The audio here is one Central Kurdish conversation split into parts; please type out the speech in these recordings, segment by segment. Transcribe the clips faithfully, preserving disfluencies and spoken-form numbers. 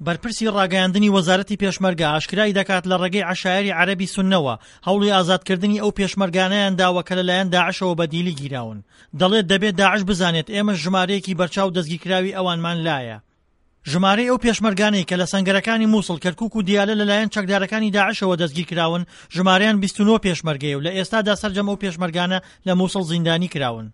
بەرپرسی ڕاگەیاندنی وەزارەتی پێشمەرگە ئاشکرای دەکات لە ڕێگەی عەشایەری عەرەبی سوننەوە هەوڵی ئازادکردنی ئەو پێشمەرگانەیان داوە کە لەلایەن داعشەوە بە دیلی گیراون. دەڵێت دەبێت داعش بزانێت ئێمەش ژمارەیەکی بەرچاو دەستگیرکراوی ئەوانمان لایە. ژمارەی ئەو پێشمەرگانەی کە لە سەنگەرەکانی موسڵ، کەرکوک و دیالە لەلایەن چەکدارەکانی داعشەوە دەستگیرکراون ژمارەیان بیست و نۆ پێشمەرگەیە و لە ئێستادا سەرجەم ئەو پێشمەرگانە لە موسڵ زیندانی کراون.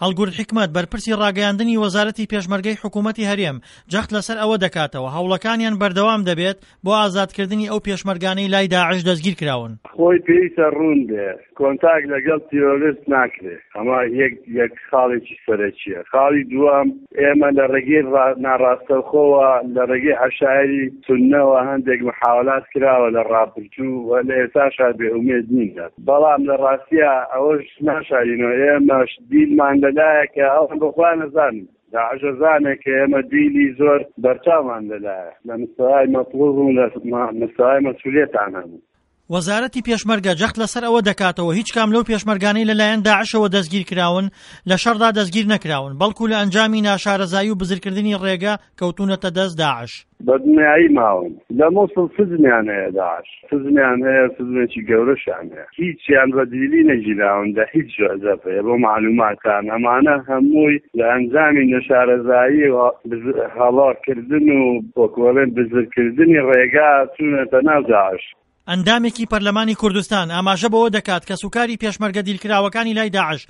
هەڵگورد حیکمەت، بەرپرسی ڕاگەیاندنی وەزارەتی پێشمەرگەی حکوومەتی هەرێم، جەخت لەسەر ئەوە دەکاتەوە، هەوڵەکانیان بەردەوام دەبێت بۆ ئازادکردنی ئەو پێشمەرگانەی لای داعش دەستگیرکراون. خۆی پێویستە ڕوون بێ کۆنتاک لەگەڵ تیرۆرست ناکرێ، ئەمە یەک یەک خاڵێکی سەرەکییە. خاڵی دووەم، ئێمە لە ڕێگەی ناڕاستەوخۆوە لە ڕێگەی عەشایری سوننەوە هەندێک محاولات کراوە لە ڕابردوو و لە ئێستاشا بێ ئومێد نین، بەڵام لە ڕاستیا ئەوەش ناشارینەوە ئێمەش دیلمان لەلایە کە ئەوان بە خۆیان ئەزانن، داعش ئەزانێ کە ئێمە دیلی زۆر بەرچاومان لەلایە لە مستەوای مەتڵوب و لە مستەوای مەسئولیەتان هەبوو. وەزارەتی پێشمەرگە جەخت لەسەر ئەوە دەکاتەوە هیچ کام لەو پێشمەرگانەی لەلایەن داعشەوە دەستگیرکراون لە شەڕدا دەستگیر نەکراون، بەڵکو لە ئەنجامی ناشارەزایی و بزرکردنی ڕێگە کەوتوونەتە دەست داعش. بە دنیایی ماون لە موسڵ سجنیان هەیە داعش سجنیان هەیە سجنێکی گەورەشیان هەیە هیچیان بە دیلی نەگیراون لە هیچ جەبهەیە بۆ معلوماتان ئەمانە هەمووی لە ئەنجامی نەشارەزایی و هەڵاکردن و وەکوڵێن بزرکردنی ڕێگا چوونەتە ناو داعش. ئەندامێکی پەرلەمانی کوردستان ئاماژە بەوە دەکات کەسوکاری پێشمەرگە دیلکراوەکانی لای داعش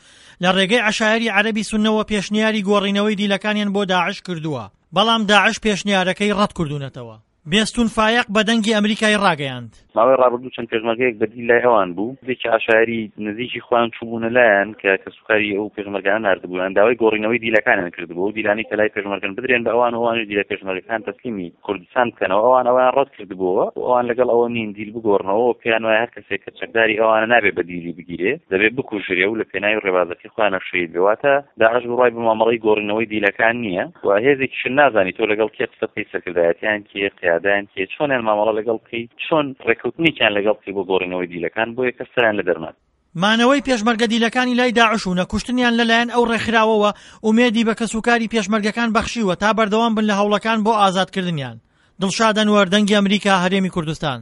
لە ڕێگەی عەشایەری عەرەبی سوننەوە پێشنیاری گۆڕینەوەی دیلەکانیان بۆ داعش کردووە، بەڵام داعش پێشنیارەکەی ڕەت کردوونەتەوە. بێستون فایەق بە دەنگی ئەمریکای ڕاگەیاند. ماوەی ڕابردوو چەند پێشمەرگەیەک بە دیل لای ئەوان بوو، هەندێکی عەشایەری نزیکی خۆیان چووبوونە لایان کە کەسوکاری ئەو پێشمەرگانە ناردبوویان، داوای گۆڕینەوەی دیلەکانیان کردبوو، ئەو دیلانەی کە لای پێشمەرگەن بدرێن بە ئەوان و ئەوانیش دیلە پێشمەرگەکان تەسلیمی کوردستان بکەنەوە، ئەوان ئەوەیان ڕەت کردبووەوە و ئەوان لەگەڵ ئەوە نین دیل بگۆڕنەوە و پێیان وایە هەر کەسێک کە چەکداری ئەوانە نابێ بە دیلی بگیرێ، دەبێ بکوژرێ و لە پێناوی ڕێبازەکەی خۆیانە شەهید بێ. واتە داعش بڕوای بە مامەڵەی گۆڕینەوەی دیلەکان نییە و هێزێکیشن نازانی تۆ لەگەڵ کێ قسە بکەی، سەرکردایەتیان کێ، قیادەیان کێ، چۆنیان مامەڵە لەگەڵ بکەی، چۆن ڕێککەوتنێکیان لەگەڵ بکەی بۆ گۆڕینەوەی دیلەکان، بۆیە کەس سەریان لە دەرنات. مانەوەی پێشمەرگە دیلەکانی لای داعش و نەکوشتنیان لەلایەن ئەو ڕێکخراوەوە ئومێدی بە کەسوکاری پێشمەرگەکان بەخشیوە تا بەردەوام بن لە هەوڵەکان بۆ ئازادکردنیان. دڵشاد ئەنوەر، دەنگی ئەمریکا، هەرێمی کوردستان.